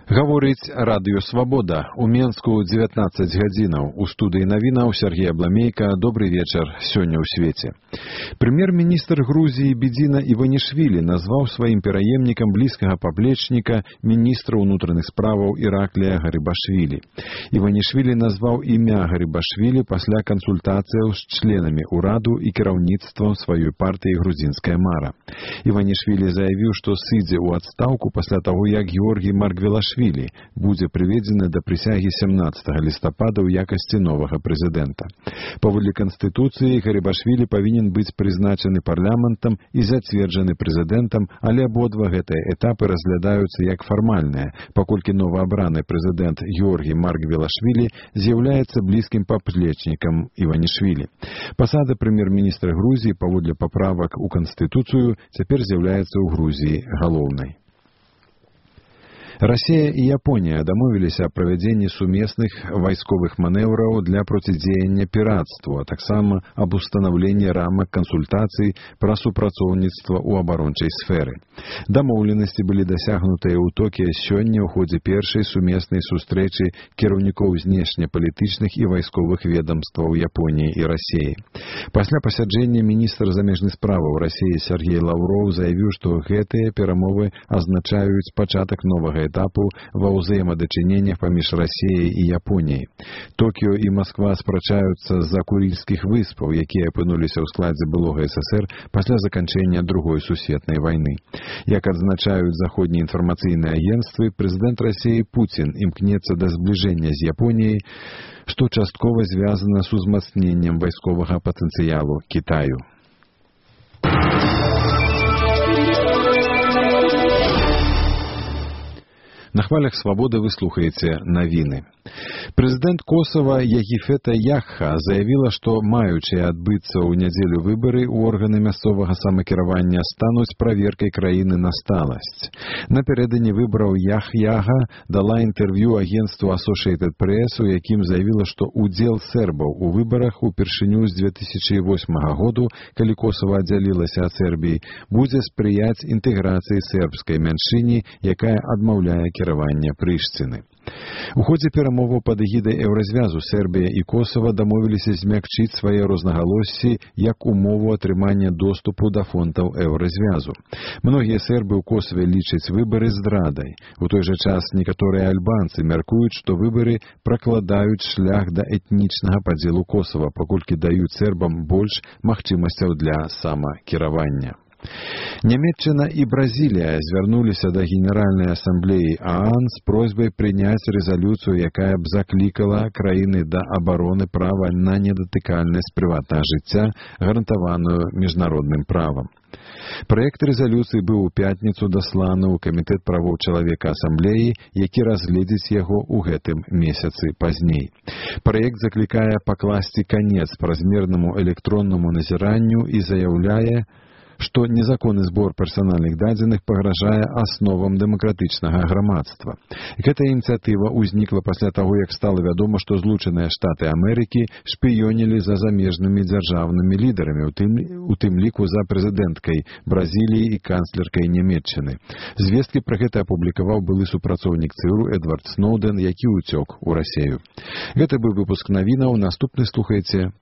Гаворыць радыё «Свабода». У Менску 19 гадзінаў. У студыі навінаў Сергей Абламейка. Добрый вечар. Сёння ў свеце. Прэм'ер-міністр Грузіі Бедзіна Іванішвілі назваў сваім пераемнікам блізкага паплечніка міністра ўнутраных справаў Іраклія Гарыбашвілі. Іванішвілі назваў імя Гарыбашвілі пасля кансультацыяў з членамі ўраду і кіраўніцтвам сваёй партыі «Грузінская мара». Іванішвілі заявіў, што сыдзе ў адстаўку пасля таго, як Георгій Маргвелашвілі будзе прыведзены да прысягі 17 лістапада ў якасці новага прэзідэнта. Паводле Канстытуцыі Гарыбашвілі павінен быць прызначаны парламентам і зацверджаны прэзідэнтам, але абодва гэтыя этапы разглядаюцца як фармальныя, паколькі новаабраны прэзідэнт Георгій Маргвелашвілі з'яўляецца блізкім паплечнікам Іванішвілі. Пасада прэм'ер-міністра Грузіі паводле паправак у Канстытуцыю цяпер з'яўляецца ў Грузіі галоўнай. Расія і Японія дамовіліся аб правядзенні сумесных вайсковых манеўраў для процідзеяння піратству, а таксама аб устанаўленні рамак кансультацый пра супрацоўніцтва ў абарончай сферы. Дамоўленасці былі дасягнутыя ў Токіа сёння ў ходзе першай сумеснай сустрэчы кіраўнікоў знешнепалітычных і вайсковых ведамстваў Японіі і Расіі. Пасля пасяджэння міністр замежных справаў Расіі Сергей Лаўроў заявіў, што гэтыя перамовы азначаюць пачатак новага этапу ва ўзаемадачыненнях паміж Расіяй і Японіяй. Токіо і Масква спрачаюцца з-за Курільскіх выспаў, якія апынуліся ў складзе былога СССР пасля заканчэння Другой сусветнай вайны. Як адзначаюць заходнія інфармацыйныя агенцтвы, прэзідэнт Расіі Пуцін імкнецца да збліжэння з Японіяй, што часткова звязана з узмацненнем вайсковага патэнцыялу Кітаю. На хвалях «Свабоды» вы слухаеце навіны. Прэзідэнт Косава Ягіфета Яхха заявіла, што маючыя адбыцца ў нядзелю выбары ў органы мясцовага самакіравання стануць праверкай краіны на сталасць. Напярэдадні выбараў Яхяга дала інтэрв'ю агенцтву Associated Press, у якім заявіла, што удзел сербаў у выбарах упершыню з 2008 году, калі Косава аддзялілася ад Сербіі, будзе спрыяць інтэграцыі сербскай мяншыні, якая адмаўляе кіравання Прышціны. У ходзе перамоваў пад эгідай Еўразвязу Сербія і Косава дамовіліся змякчыць свае рознагалоссі як умову атрымання доступу да фондаў Еўразвязу. Многія сербы ў Косаве лічаць выбары здрадай. У той жа час некаторыя альбанцы мяркуюць, што выбары пракладаюць шлях да этнічнага падзелу Косава, паколькі даюць сербам больш магчымасцяў для самакіравання. Нямецчына і Бразілія звярнуліся да Генеральнай асамблеі ААН з просьбай прыняць рэзалюцыю, якая б заклікала краіны да абароны права на недатыкальнасць прыватнага жыцця, гарантаваную міжнародным правам. Праект рэзалюцыі быў у пятніцу дасланы ў Камітэт правоў чалавека асамблеі, які разгледзіць яго ў гэтым месяцы пазней. Праект заклікае пакласці канец празмернаму электроннаму назіранню і заяўляе, што незаконны збор персанальных дадзеных пагражае асновам дэмакратычнага грамадства. Гэтая ініцыятыва ўзнікла пасля таго, як стала вядома, што Злучаныя Штаты Амерыкі шпіёнілі за замежнымі дзяржаўнымі лідарамі, у тым ліку за прэзідэнткай Бразіліі і канцлеркай Нямецчыны. Звесткі пра гэта апублікаваў былы супрацоўнік ЦРУ Эдвард Сноўдэн, які ўцёк у Расею. Гэта быў выпуск навінаў, наступны слухайце